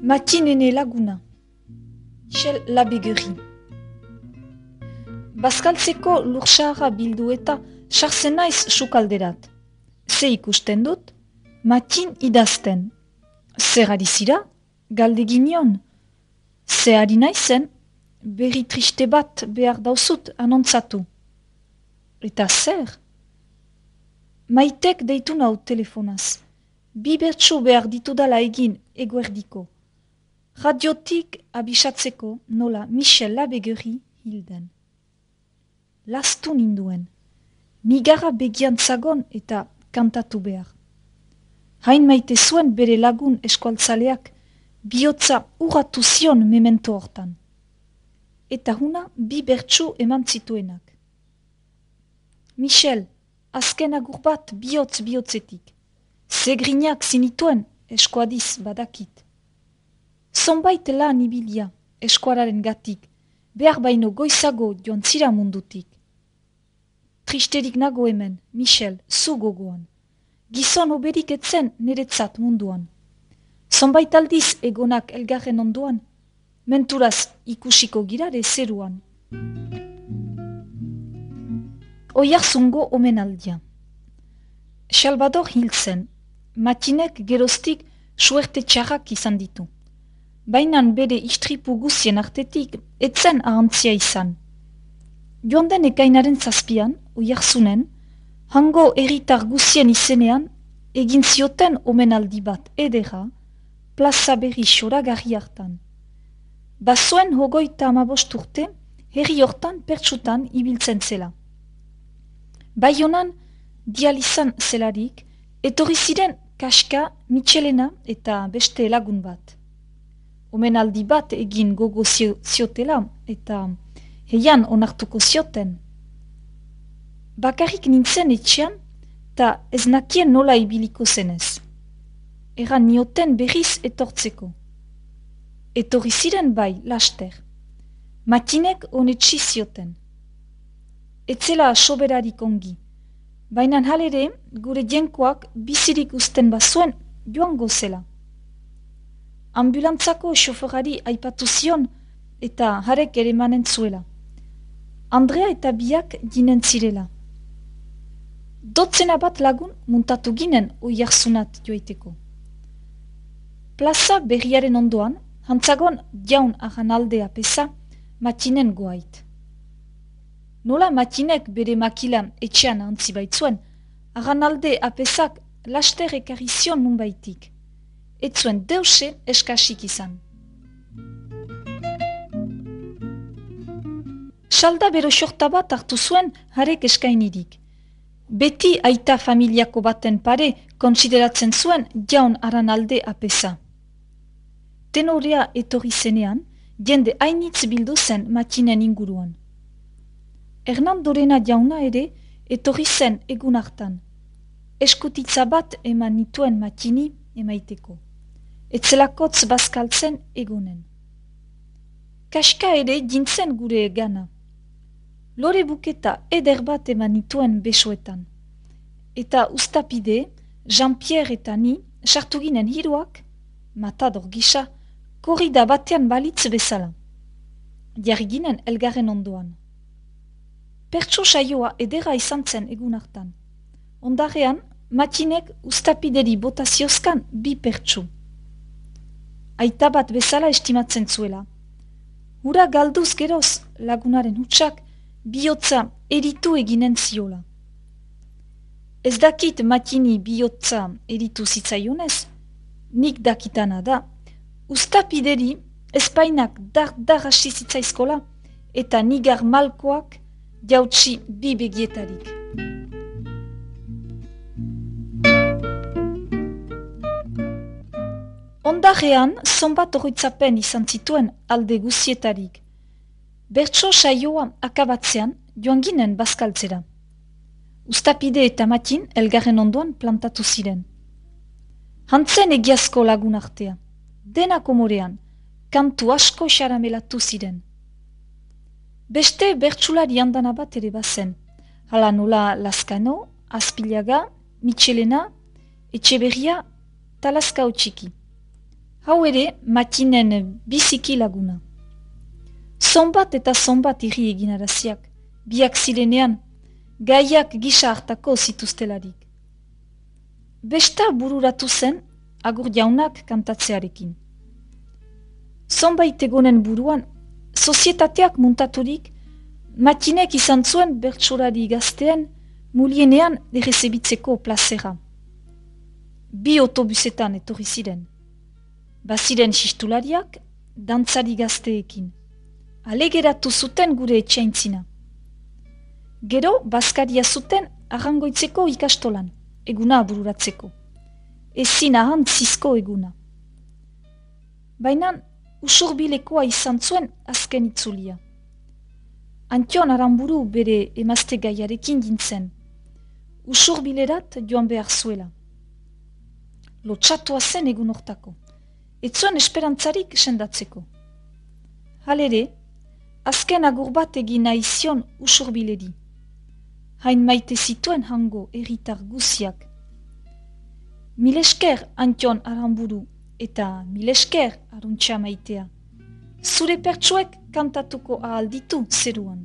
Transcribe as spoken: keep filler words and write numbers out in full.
Matinene laguna, Michel Labéguerie. Bazkaltzeko lursaharra bildu eta sartzen naiz sukalderat. Ze ikusten dut, matin idazten. Zer ari zira, galdegin nion. Ze ari naizen, berri triste bat behar dauzut anontzatu. Eta zer? Maitek deitu nau telefonaz. Bi bertsu behar ditudala egin eguerdiko. Radiotik abisatzeko nola Michel Labéguerie hilden. Lastu ninduen. Nigara begian zagon eta kantatu behar. Hain maite zuen bere lagun eskualtzaleak bihotza urratu zion memento hortan. Eta huna bi bertsu eman zituenak. Michel, azken agur bat bihotz bihotzetik. Zegrinak zinituen eskuadiz badakit. Zonbait lan ibilia eskuararen gatik, behar baino goizago joan zira mundutik. Tristerik nago hemen, Michel, zu gogoan. Gizon oberik etzen niretzat munduan. Zonbait aldiz egonak elgarren onduan, menturaz ikusiko girare zeruan. Oiarzungo omenaldia. Salvador hil zen, matinek geroztik suerte txarrak izan ditu. Bainan bere istripu guzien artetik etzen ahantzia izan. Joan den ekainaren zazpian, oiarzunen, hango erritar guzien izenean, egin zioten omenaldi bat edera, plaza berri xoragarri hartan. Bazoen hogoita amabost urte, herri hortan pertsutan ibiltzen zela. Baionan, dializan zelarik, etorri ziren Kaska, Michelena eta beste lagun bat. Omenaldi bat egin gogo ziotela eta heian onartuko zioten. Bakarrik nintzen etxean eta ez nakien nola ibiliko zenez. Eran nioten berriz etortzeko. Etorri ziren bai, laster. Matinek honetsi zioten. Etzela soberarik ongi. Baina halere gure jenkoak bizirik usten bazuen joango zela. Ambulantzako xoferari aipatu zion eta harek ere manen zuela. Andrea eta biak ginen zirela. Dotzena bat lagun muntatu ginen oiarzunat joiteko. Plaza berriaren ondoan, hantzagon jaun ahan aldea pesa, matinen goait. Nola matinek bere makila etxean antzi baitzuen, ahan alde apesak laster ekarri zion nunbaitik. Ez zuen deuse eskasik izan. Salda bero xorta bat hartu zuen harek eskainirik. Beti aita familiako baten pare konsideratzen zuen jaun aran alde apesa. Tenorea etorri zenean, jende hainitz bildu zen matinen inguruan. Hernandorena jauna ere etorri zen egun hartan. Eskutitza bat eman nituen matini emaiteko. Etzelakotz bazkaltzen egonen. Kaska ere jintzen gure gana. Lore buketa eder bat eman nituen besoetan. Eta ustapide, Jean-Pierre eta ni, sartu ginen hiruak, matador gisa, korrida batean balitz bezala. Jarri ginen elgarren ondoan. Pertso saioa edera izan zen egun hartan. Ondarean, matinek ustapideri botaziozkan bi pertsu. Aita bat bezala estimatzen zuela. Hura galduz geroz lagunaren hutsak bihotza eritu eginen ziola. Ez dakit matini bihotza eritu zitzaionez, nik dakitana da, ustapideri espainak dar-dar hasi zitzaizkola eta nigar malkoak jautsi bi begietarik. Ondarean, zonbat oroitzapen izan zituen alde guzietarik. Bertso saioa akabatzean joan ginen bazkaltzera. Ustapide eta matin elgarren ondoan plantatu ziren. Hantzen egiazko lagun artea. Dena komorean, kantu asko xaramelatu ziren. Beste bertsulari handana bat ere bazen. Hala nola Lazkano, Azpilaga, Michelena, Etxeberria, Talaskao txiki. Hau ere, matinen biziki laguna. Zonbat eta zonbat irri eginaraziak, biak zirenean, gaiak gisa hartako zituztelarik. Besta bururatu zen, agur jaunak kantatzearekin. Zonbait egonen buruan, sozietateak muntaturik, matinek izan zuen bertsolari gaztean, mulienean errezebitzeko plazera. Bi autobusetan etorri ziren. Baziren xistulariak, dantzari gazteekin. Alegeratu zuten gure etxaintzina. Gero, bazkaria zuten arrangoitzeko ikastolan, eguna bururatzeko. Ezin ahantzizko eguna. Baina, usurbilekoa izan zuen azken itzulia. Antion Aramburu bere emazte gaiarekin gintzen. Usurbilerat joan behar zuela. Lotxatua zen egun hortako. Ez zuen esperantzarik sendatzeko. Halere, azken agur bat egin nahi zion usurbileri. Hain maite zituen hango erritar guziak. Milesker Antion Aramburu eta milesker aruntxa maitea. Zure pertsuek kantatuko ahal ditu zeruan.